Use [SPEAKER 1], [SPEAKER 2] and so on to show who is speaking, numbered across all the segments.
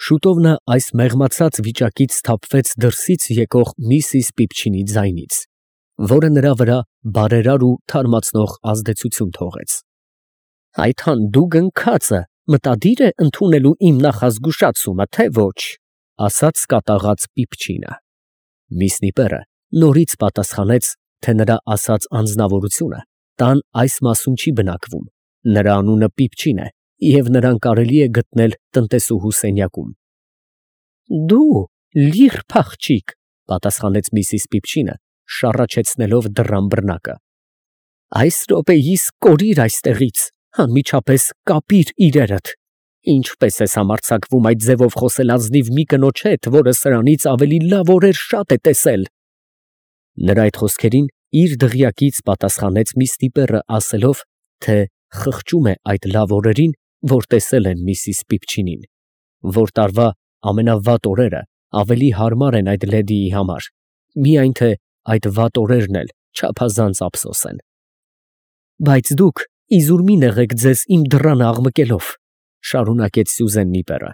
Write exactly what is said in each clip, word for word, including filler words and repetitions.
[SPEAKER 1] Շուտով նա այս մեղմացած վիճակից սթափվեց դրսից եկող միսիս Պիպչինի ձայնից, որը նրա վրա բարերար ու թարմացնող ազդեցություն թողեց։ Այդ հանդուգն քածը մտադիր է ընդունելու իմ նախազգուշացումը, թե ոչ, ասաց կատաղած Պիպչինը։ Միս Նիպերը նորից պատասխանեց, թե նրա ասած անձնավորությունը տան այս մասում չի բնակվում, նրա անունը Պիպչին է և նրան կարելի է գտնել տնտեսուհու սենյակում։ Դու լիռ փախչիկ, պատասխանեց միսիս Պիպչինը, շառաչեցնելով դռան բռնակը։ Այս րոպեիս կորիր այստեղից, անմիջապես կապիր իրերդ։ Ինչպես ես համարձակվում այդ ձևով խոսել ազնիվ մի կնոջ հետ, որը սրանից ավելի լավ օրեր շատ է տեսել։ Նրա այդ խոսքերին իր դղյակից պատասխանեց միս Նիպերը ասելով, թե խղճում է այդ լավ օրերին, որ տեսել են միսիս Պիպչինին, որ տարվա ամենավատ օրերը ավելի հարմար են այդ լեդիի համար, միայն թե այդ վատ օրերն էլ չափազանց ափսոս են։ Բայց դուք իզուր մի նեղեք ձեզ իմ դռանը աղմկելով, շարունակեց Սյուզեն Նիպերը,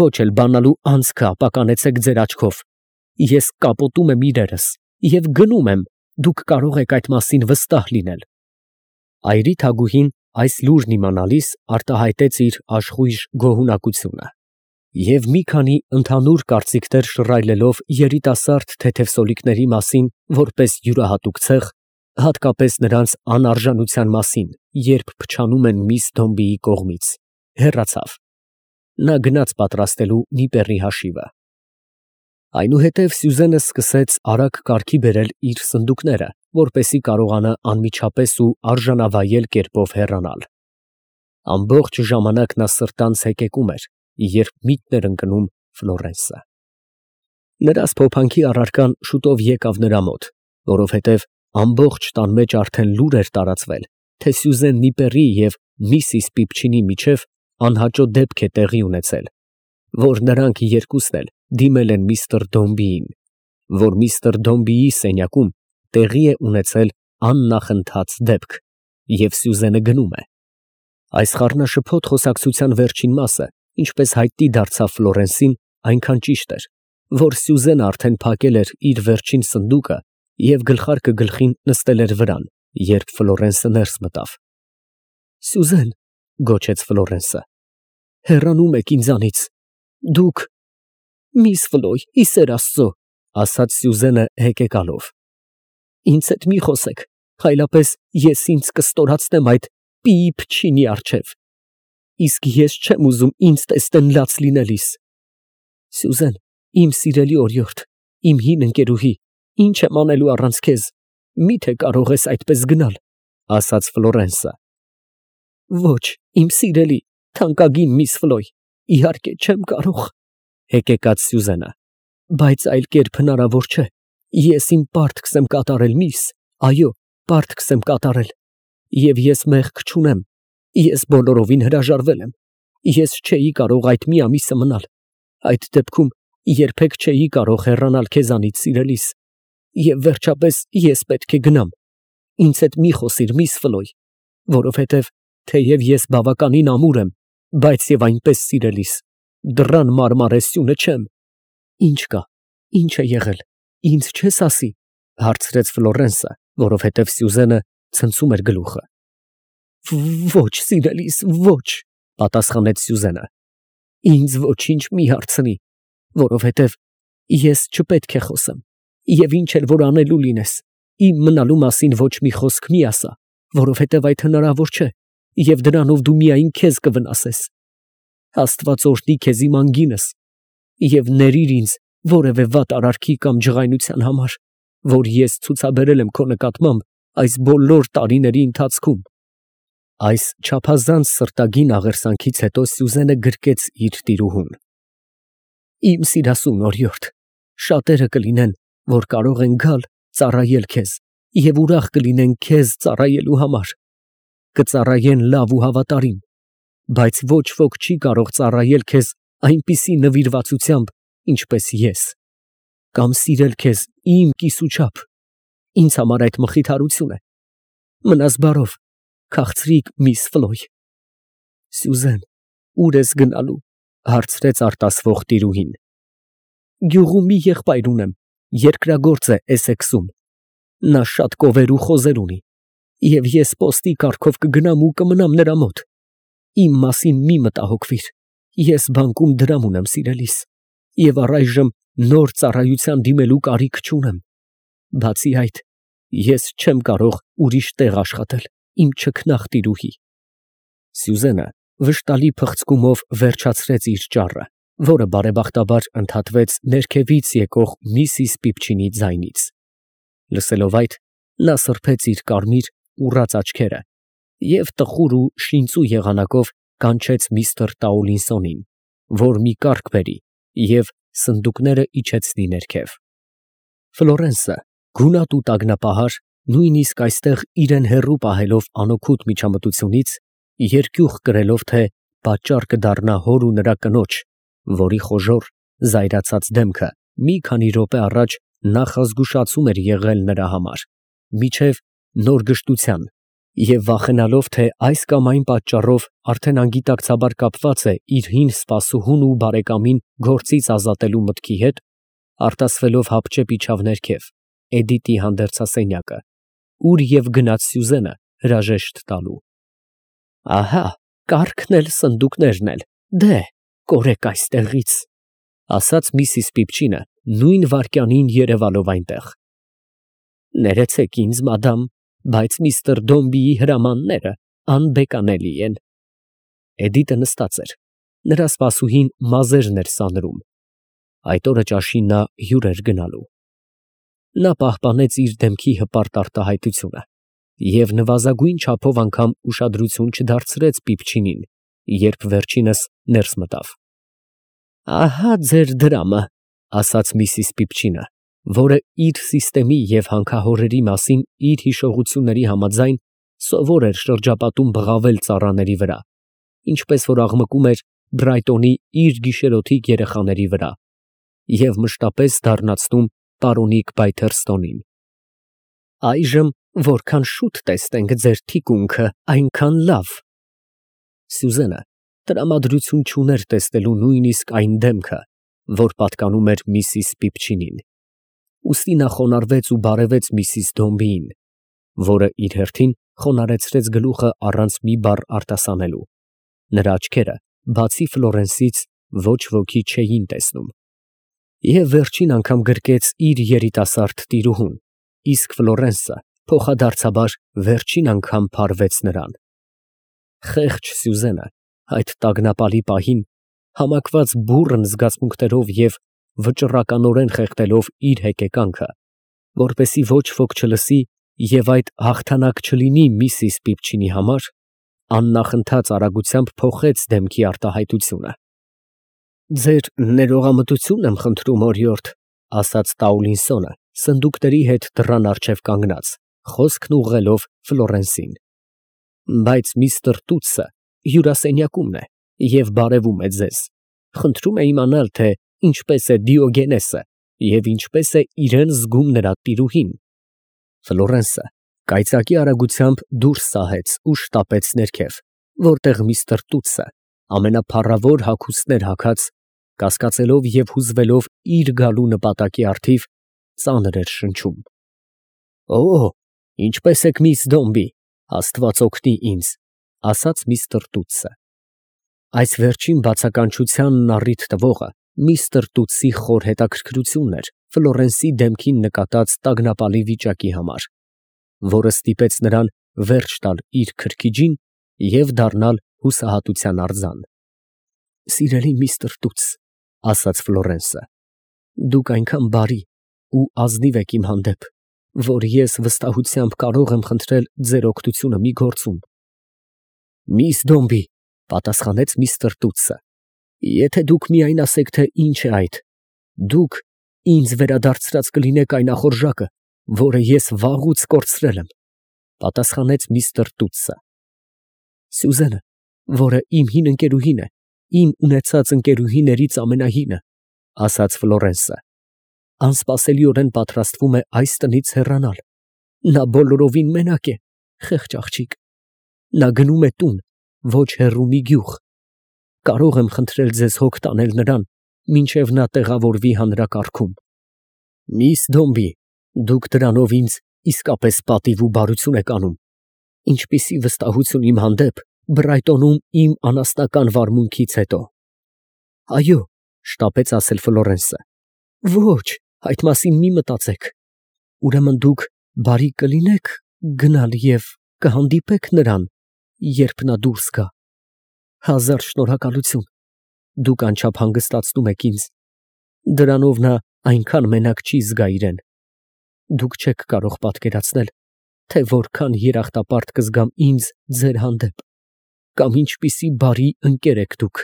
[SPEAKER 1] ոչ էլ բանալու անցքը ապականեցեք ձեր աչքով, ես կապոտում եմ իրերս և գնում եմ, դուք կարող եք այդ մասին վստահ լինել։ Այրի թագուհին այս լուրն իմանալիս արտահայտեց իր աշխույժ գոհունակությունը և մի քանի ընդհանուր կարծիքներ շռայլելով երիտասարդ թեթևսոլիկների մասին որպես յուրահատուկ ցեղ, հատկապես նրանց անարժանության մասին, երբ փչանում են միս Դոմբիի կողմից, հեռացավ։ Նա գնաց պատրաստելու Նիպերի հաշիվը։ Այնուհետև Սյուզենը սկսեց արագ կարգի բերել իր սնդուկները, որպեսզի կարողանա անմիջապես ու արժանավայել կերպով հեռանալ։ Ամբողջ ժամանակ նա սրտանց հեկեկում էր, երբ միտքն էր ընկնում Ֆլորենսը։ Նրա սփոփանքի առարկան շուտով եկավ նրա մոտ, որովհետև ամբողջ տան մեջ արդեն լուր էր տարածվել, թե Սյուզեն Նիպերի և միսիս Պիպչինի միջև անհաճո դեպք է տեղի ունեցել, որ նրանք երկուսն էլ դիմել են միստր Դոմբիին, որ միստր Դոմբիի սենյակում տեղի է ունեցել աննախընթաց դեպք, և Սյուզենը գնում է։ Այս խառնաշփոթ խոսակցության վերջին մասը, ինչպես հայտնի դարձավ Ֆլորենսին, այնքան ճիշտ էր, որ Սյուզենը արդեն փակել էր իր վերջին սնդուկը և գլխարկը գլխին նստել էր վրան, երբ Ֆլորենսը ներս մտավ։ Սյուզեն, գոչեց Ֆլորենսը, հեռանում եք ինձանից, դուք… Միս Ֆլոյ, ի սեր Աստծո, ասաց Սյուզենը հեկեկալով, ինձ հետ մի խոսեք, այլապես ես ինձ կստորացնեմ այդ Պիիփչինի առջև, իսկ ես չեմ ուզում ինձ տեսնեն լաց լինելիս։ Սյուզեն, իմ սիրելի օրիորդ, իմ հին ընկերուհի, ինչ եմ անելու առանց քեզ, մի՞թե կարող ես այդպես գնալ, ասաց Ֆլորենսը։ Ոչ, իմ սիրելի, թանկագին միս Ֆլոյ, իհարկե չեմ կարող, հեկեկաց Սյուզենը, բայց այլ կերպ հնարավոր չէ, ես իմ պարտքս եմ կատարել, միս, այո, պարտքս եմ կատարել, և ես մեղք չունեմ, ես բոլորովին հրաժարվել եմ, ես չէի կարող այդ մի ամիսը մնալ, այդ դեպքում երբեք չէի կարող հեռանալ քեզանից սիրելիս, և վերջապես ես պետք է գնամ, ինձ հետ մի խոսիր, միս Ֆլոյ, որովհետև թեև ես բավականին ամուր եմ, բայց և այնպես սիրելիս, դռան մարմարե սյունը չեմ։ Ինչ կա, ինչ է եղել, ինձ չես ասի, հարցրեց Ֆլորենսը, որովհետև Սյուզենը ցնցում էր գլուխը։ Ոչ, սիրելիս, ոչ, պատասխանեց Սյուզենը, ինձ ոչինչ մի հարցնի, որովհետև ես չպետք է խոսեմ, և ինչ էլ որ անելու լինես, իմ մնալու մասին ոչ մի խոսք մի ասա, որովհետև այդ հնարավոր չէ, և դրանով դու միայն քեզ կվնասես։ Աստված օրհնի քեզ իմ անգինս, և ներիր ինձ որևէ վատ արարքի կամ ջղայնության համար, որ ես ցուցաբերել եմ քո նկատմամբ այս բոլոր տարիների ընթացքում։ Այս չափազանց սրտագին աղերսանքից հետո Սյուզենը գրկեց իր տիրուհուն։ Իմ սիրասուն օրիորդ, շատերը կլինեն, որ կարող են գալ ծառայել քեզ և ուրախ կլինեն քեզ ծառայելու համար, կծառայեն լավ ու հավատարիմ, բայց ոչ ոք չի կարող ծառայել քեզ այնպիսի նվիրվածությամբ, ինչպես ես, կամ սիրել քեզ իմ կիսուչափ, ինձ համար այդ մխիթարություն է։ Մնաս բարով, քաղցրիկ միս Ֆլոյ։ Սյուզեն, ուր ես գնալու, Հարցրեց արտասվող տիրուհին։ Գյուղում մի եղբայր ունեմ, երկրագործ է Էսեքսում։ Նա շատ կովեր ու խոզեր ունի, և ես պոստի կարգով կգնամ ու կմնամ նրա մոտ։ Իմ մասին մի մտահոգվիր, ես բանկում դրամ ունեմ սիրելիս, և առայժմ նոր ծառայության դիմելու կարիք չունեմ։ Բացի այդ, ես չեմ կարող ուրիշ տեղ աշխատել, իմ չքնաղ տիրուհի։ Սյուզենը վշտալի փխցկումով վերջացրեց իր ճառը, որը բարեբախտաբար ընդհատվեց ներքևից եկող միսիս Պիպչինի ձայնից։ Լսելով այդ, նա սրբեց իր կարմիր ուռած աչքերը և տխուր ու շինծու եղանակով կանչեց միստր Տաուլինսոնին, որ մի կառք բերի և սնդուկները իջեցնի ներքև։ Ֆլորենսը, գունատ ու տագնապահար, նույնիսկ այստեղ իրեն հեռու պահելով անօգուտ միջամտությունից, երկյուղ կրելով, թե պատճառ կդառնա հոր ու նրա կնոջ, որի խոժոռ, զայրացած դեմքը մի քանի րոպե առաջ նախազգուշացում էր եղել նրա համար, մինչև նոր գժտության, և վախենալով, թե այս կամ այն պատճառով արդեն անգիտակցաբար կապված է իր հին սպասուհուն ու բարեկամին գործից ազատելու մտքի հետ, արտասվելով հապճեպ իջավ ներքև, Էդիտի հանդերձասենյակը, ուր և գնաց Սյուզենը հրաժեշտ տալու։ Ահա, կառքն էլ, սնդուկներն էլ, դե, կորեք այստեղից, ասաց միսիս Պիպչինը նույն վայրկյանին երևալով այնտեղ։ Ներեցեք ինձ, մադամ, բայց միստր Դոմբիի հրամանները անբեկանելի են։ Էդիտը նստած էր, նրա սպասուհին մազերն էր սանրում։ Այդ օրը ճաշին նա հյուր էր գնալու։ Նա պահպանեց իր դեմքի հպարտ արտահայտությունը և նվազագույն չափով անգամ ուշադրություն չդարձրեց Պիպչինին, երբ վերջինս ներս մտավ։ Ահա ձեր դրամը, ասաց միսիս Պիպչինը, որը իր սիստեմի և հանքահորերի մասին իր հիշողությունների համաձայն սովոր էր շրջապատում բղավել ծառաների վրա, ինչպես որ աղմկում էր Բրայտոնի իր գիշերօթիկ երեխաների վրա, և մշտապես դառնացնում պարոնիկ Բայթերստոնին։ Այժմ որքան շուտ տեսնենք ձեր թիկունքը, այնքան լավ։ Սյուզենը տրամադրություն չուներ տեսնելու նույնիսկ այն դեմքը, որ պատկանում էր միսիս Պիպչինին, ուստի նա խոնարհվեց ու բարևեց միսիս Դոմբիին, որը իր հերթին խոնարհեցրեց գլուխը առանց մի բառ արտասանելու։ Նրա աչքերը, բացի Ֆլորենսից, ոչ ոքի չէին տեսնում։ Եվ վերջին անգամ գրկեց իր երիտասարդ տիրուհուն, իսկ Ֆլորենսը փոխադարձաբար վերջին անգամ փարվեց նրան։ Խեղճ Սյուզենը այդ տագնապալի պահին, համակված բուռն զգացմունքներով և վճռականորեն խեղդելով իր հեկեկանքը, որպեսզի ոչ ոք չլսի և այդ հաղթանակ չլինի միսիս Պիպչինի համար, աննախընթաց արագությամբ փոխեց դեմքի արտահայտությունը։ Ձեր ներողամտություն եմ խնդրում, օրիորդ, ասաց Տաուլինսոնը, սնդուկների հետ դռան առջև կանգնած, խոսքն ուղղելով Ֆլորենսին։ Բայց միստր Տուտսը հյուրասենյակումն է և բարևում է ձեզ։ Խնդրում է իմանալ, թե ինչպես է Դիոգենեսը և ինչպես է իրեն զգում նրա տիրուհին։ Ֆլորենսը կայծակի արագությամբ դուրս սահեց ու շտապեց ներքև, որտեղ միստր Տուտսը ամենափառավոր հագուստներ հագած, կասկածելով և հուզվելով իր գալու նպատակի առթիվ, ծանր էր շնչում։ Օ, ինչպե՞ս եք, միս Դոմբի, աստված օգնի ինձ, ասաց միստր Տուտսը։ Այս վերջին բացականչությանն առիթ տվողը միստր Տուտսի խոր հետաքրքրությունն էր Ֆլորենսի դեմքին նկատած տագնապալի վիճակի համար, որը ստիպեց նրան վերջ տալ իր քրքիջին և դառնալ հուսահատության արձան։ Սիրելի միստր Տուտս, ասաց Ֆլորենսը, դուք այնքան բարի ու ազնիվ եք իմ հանդեպ, որ ես վստահությամբ կարող եմ խնդրել ձեր օգնությունը մի գործում։ Միս Դոմբի, պատասխանեց միստր Տուտսը, եթե դուք միայն ասեք, թե ինչ է այդ, դուք ինձ վերադարձրած կլինեք այն ախորժակը, որը ես վաղուց կորցրել եմ, պատասխանեց միստր Տուտսը։ Սյուզենը, որը իմ հին ընկերուհին է, իմ ունեցած ընկերուհիներից ամենահինը, ասաց Ֆլորենսը, անսպասելիորեն պատրաստվում է այս տնից հեռանալ։ Նա բոլորովին մենակ է, խեղճ աղջիկ։ Նա գնում է տուն, ոչ հեռու մի գյուղ։ կարող եմ խնդրել ձեզ հոգ տանել նրան, մինչև նա տեղավորվի հանրակարգում։ Միս Դոմբի, դուք դրանով ինձ իսկապես պատիվ ու բարություն եք անում։ Ինչպիսի վստահություն իմ հանդեպ Բրայտոնում իմ անասնական վարմունքից հետո։ Այո, շտապեց ասել Ֆլորենսը։ Ոչ, այդ մասին մի մտածեք։ Ուրեմն դուք բարի կլինեք գնալ և կհանդիպեք նրան, երբ նա դուրս գա։ Հազար շնորհակալություն, դուք անչափ հանգստացնում եք ինձ։ Դրանով նա այնքան մենակ չի զգա իրեն։ Դուք չեք կարող պատկերացնել, թե որքան երախտապարտ կզգամ ինձ ձեր հանդեպ, կամ ինչպիսի բարի ընկեր եք դուք։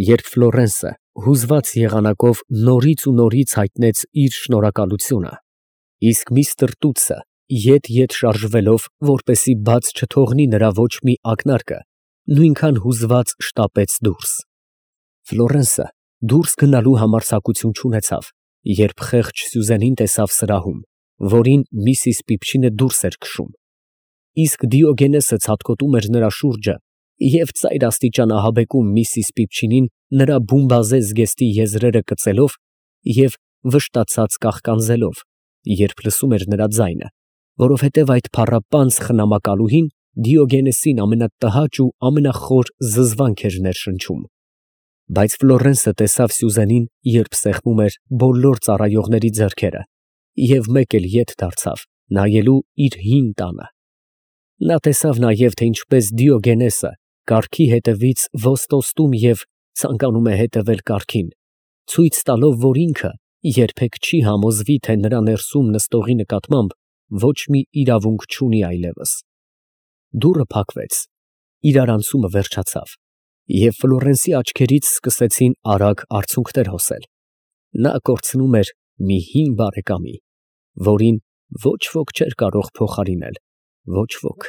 [SPEAKER 1] Երբ Ֆլորենսը հուզված եղանակով նորից ու նորից հայտնեց իր շնորհակալությունը, իսկ միստր Տուտսը ետ-ետ շարժվելով, որպեսզի բաց չթողնի նրա ոչ մի ակնարկը, նույնքան հուզված շտապեց դուրս։ Ֆլորենսը դուրս գնալու համարձակություն չունեցավ, երբ խեղճ Սյուզենին տեսավ սրահում, որին միսիս Պիպչինը դուրս էր քշում։ Իսկ Դիոգենեսը ցատկոտում էր նրա շուրջը և ծայր աստիճան ահաբեկում միսիս Պիպչինին նրա բումբազե զգեստի եզրերը կծելով և վշտացած կաղկանձելով, երբ լսում էր նրա ձայնը, որովհետև այդ փառապանծ խնամակալուհին Դիոգենեսին ամենատհաճ ու ամենախոր զզվանք էր ներշնչում։ Բայց Ֆլորենսը տեսավ Սյուզենին, երբ սեղմում էր բոլոր ծառայողների ձեռքերը, և մեկ էլ ետ դարձավ, նայելու իր հին տանը։ Նա տեսավ նաև, թե ինչպես Դիոգենեսը կառքի հետևից ոստոստում և ցանկանում է հետևել կառքին, ցույց տալով, որ ինքը երբեք չի համոզվի, թե նրա ներսում նստողի նկատմամբ ոչ մի իրավունք չունի այլևս։ Դուռը փակվեց, իրարանցումը վերջացավ, և Ֆլորենսի աչքերից սկսեցին արագ արցունքներ հոսել։ Նա կորցնում էր մի հին բարեկամի, որին ոչ ոք չէր կարող փոխարինել, ոչ ոք,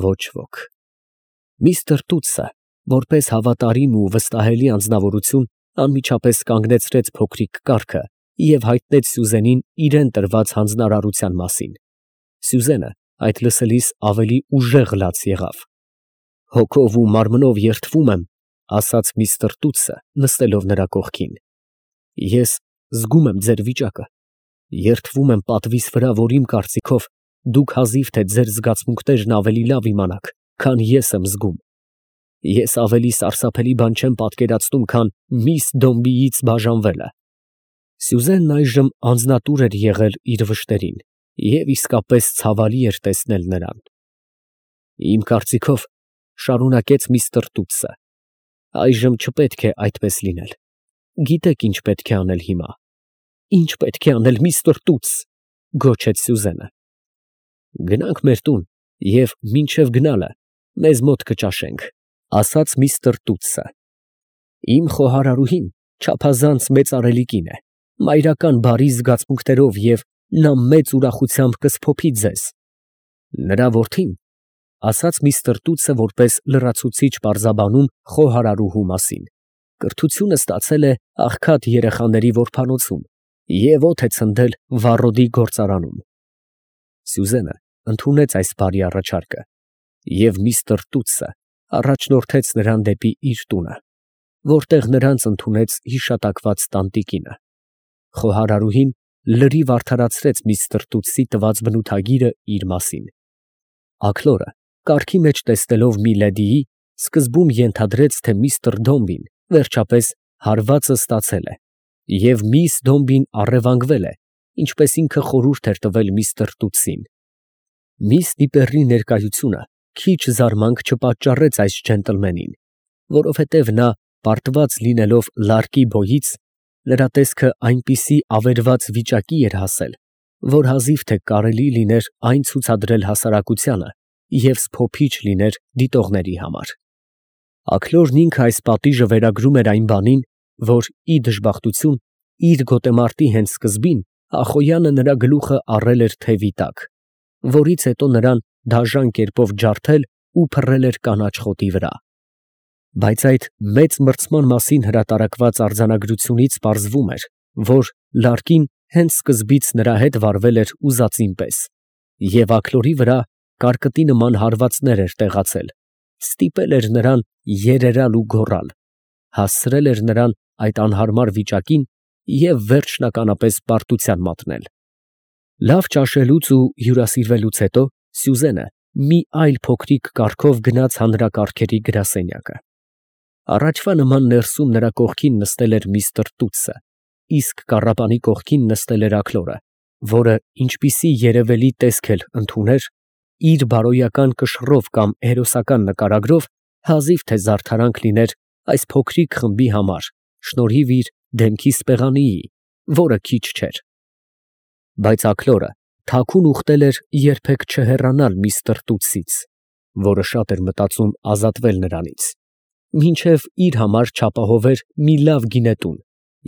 [SPEAKER 1] ոչ ոք։ Միստր Տուտսը, որպես հավատարիմ ու վստահելի անձնավորություն, անմիջապես կանգնեցրեց փոքրիկ կառքը և հայտնեց Սյուզենին իրան տրված հանձնարարության մասին։ Սյուզենը այդ լսելիս ավելի ուժեղ լաց եղավ։ Հոգով ու մարմնով երդվում եմ, ասաց միստր Տուտսը, նստելով նրա կողքին։ Ես զգում եմ ձեր վիճակը, երդվում եմ պատվիս վրա, որ իմ կարծիքով դուք հազիվ թե ձեր զգացմունքներն ավելի լավ իմանաք, քան ես եմ զգում։ Ես ավելի սարսափելի բան չեմ պատկերացնում, քան միս Դոմբիից բաժանվելը։ Սյուզենն այժմ անձնատուր էր եղել իր վշտերին, և իսկապես ցավալի էր տեսնել նրան։ Իմ կարծիքով, շարունակեց միստր Տուտսը, այժմ չպետք է այդպես լինել։ Գիտեք ինչ պետք է անել հիմա։ Ինչ պետք է անել, միստր Տուտս, գոչեց Սյուզենը։ Գնանք մեր տուն և մինչև գնալը մեզ մոտ կճաշենք, ասաց միստր Տուտսը։ Իմ խոհարարուհին չափազանց մեծարելի կին է, մայրական բարի զգացմունքներով, և նա մեծ ուրախությամբ կսփոփի ձեզ։ Նրա որդին, ասաց միստր Տուտսը որպես լրացուցիչ պարզաբանում խոհարարուհու մասին, կրթությունը ստացել է աղքատ երեխաների որբանոցում և օդ է ցնդել վառոդի գործարանում։ Սյուզենը ընդունեց այս բարի առաջարկը, և միստր Տուտսը առաջնորդեց նրան դեպի իր տունը, որտեղ նրանց ընդունեց հիշատակված տանտիկինը։ Խոհարարուհին լրիվ արդարացրեց միստր Տուտսի տված բնութագիրը իր մասին։ Աքլորը, կառքի մեջ տեսնելով Միլեդիի, սկզբում ենթադրեց, թե միստր Դոմբին վերջապես հարվածը ստացել է, և միս Դոմբին առևանգվել է, ինչպես ինքը խորհուրդ էր տվել միստր Տուտսին։ Միս Դիպերի ներկայությունը քիչ զարմանք չպատճառեց այս ջենտլմենին, որովհետև նա, պարտված լինելով լարկի բոյից, նրա տեսքը այնպիսի ավերված վիճակի էր հասել, որ հազիվ թե կարելի լիներ այն ցուցադրել հասարակությանը և սփոփիչ լիներ դիտողների համար։ Աքլորն ինքը այս պատիժը վերագրում էր այն բանին, որ, ի դժբախտություն, իր գոտեմարտի հենց սկզբին Ախոյանը նրա գլուխը առել էր թևի տակ, որից հետո նրան դաժան կերպով ջարդել ու փռել էր կանաչ խոտի վրա։ Բայց այդ մեծ մրցման մասին հրատարակված արձանագրությունից պարզվում էր, որ լարկին հենց սկզբից նրա հետ վարվել էր ուզածին պես, և աքլորի վրա կարկտի նման հարվածներ էր տեղացել, ստիպել էր նրան երերալ ու գոռալ, հասցրել էր նրան այդ անհարմար վիճակին և վերջնականապես պարտության մատնել։ Լավ ճաշելուց ու հյուրասիրվելուց հետո Սյուզենը մի այլ փոքրիկ կառքով գնաց հանրակարգերի գրասենյակը։ Առաջվա նման ներսում նրա կողքին նստել էր միստր Տուտսը, իսկ կառապանի կողքին նստել էր Աքլորը, որը, ինչպիսի երևելի տեսք էլ ընդուներ, իր բարոյական կշռով կամ հերոսական նկարագրով հազիվ թե զարդարանք լիներ այս փոքրիկ խմբի համար, շնորհիվ իր դեմքի սպեղանիի, որը քիչ չէր։ Բայց Աքլորը թաքուն ուխտել էր երբեք չհեռանալ միստր Տուտսից, որը շատ էր մտածում ազատվել նրանից, մինչև իր համար չապահովեր մի լավ գինետուն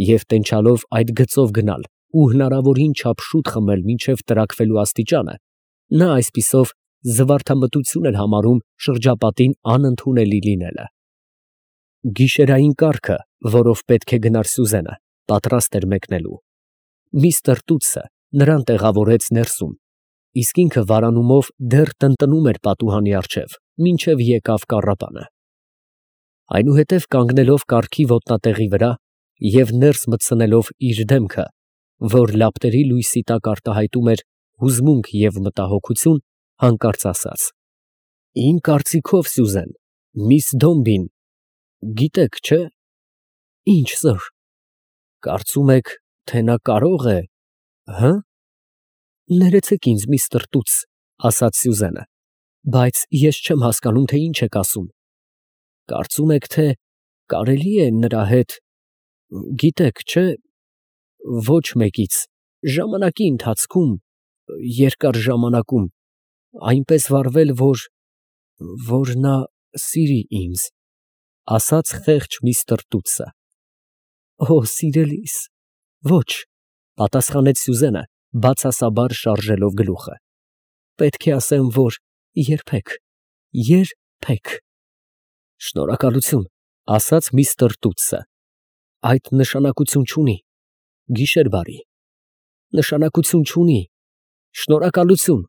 [SPEAKER 1] և տենչալով այդ գծով գնալ ու հնարավորին չափ շուտ խմել մինչև տրաքվելու աստիճանը, նա այսպիսով զվարթամտություն էր համարում շրջապատին անընդունելի լինելը։ Գիշերային կառքը, որով պետք է գնար Սյուզենը, պատրաստ էր մեկնելու։ Միստր Տուտսը նրան տեղավորեց ներսում, իսկ ինքը վարանումով դեռ տնտնում էր պատուհանի առջև, մինչև եկավ կառապանը։ Այնուհետև կանգնելով կառքի ոտնատեղի վրա և ներս մտցնելով իր դեմքը, որ լապտերի լույսի տակ արտահայտում էր հուզմունք և մտահոգություն, հանկարծ ասաց. ֊ Իմ կարծիքով, Սյուզեն, միս Դոմբին… գիտեք, չէ՞։ ֊ Ի՞նչ, սըր։ ֊ Կարծում եք, թե նա կարող է… հը՞։ ֊ Ներեցեք ինձ, միստր Տուտս, ֊ ասաց Սյուզենը, ֊ բայց ես չեմ հասկանում, թե ինչ եք ասում։ ֊ Կարծում եք, թե կարելի է նրա հետ… գիտեք, չէ՞… ոչ մեկից… ժամանակի ընթացքում… երկար ժամանակում… այնպես վարվել, որ… որ նա սիրի ինձ… ֊ ասաց խեղճ միստր Տուտսը։ ֊ Օ՜, սիրելիս… ոչ… ֊ պատասխանեց Սյուզենը, բացասաբար շարժելով գլուխը։ ֊ Պետք է ասեմ, որ երբեք… երբեք… ֊ Շնորհակալություն, ֊ ասաց միստր Տուտսը, ֊ այդ նշանակություն չունի… գիշեր բարի… նշանակություն չունի… շնորհակալություն։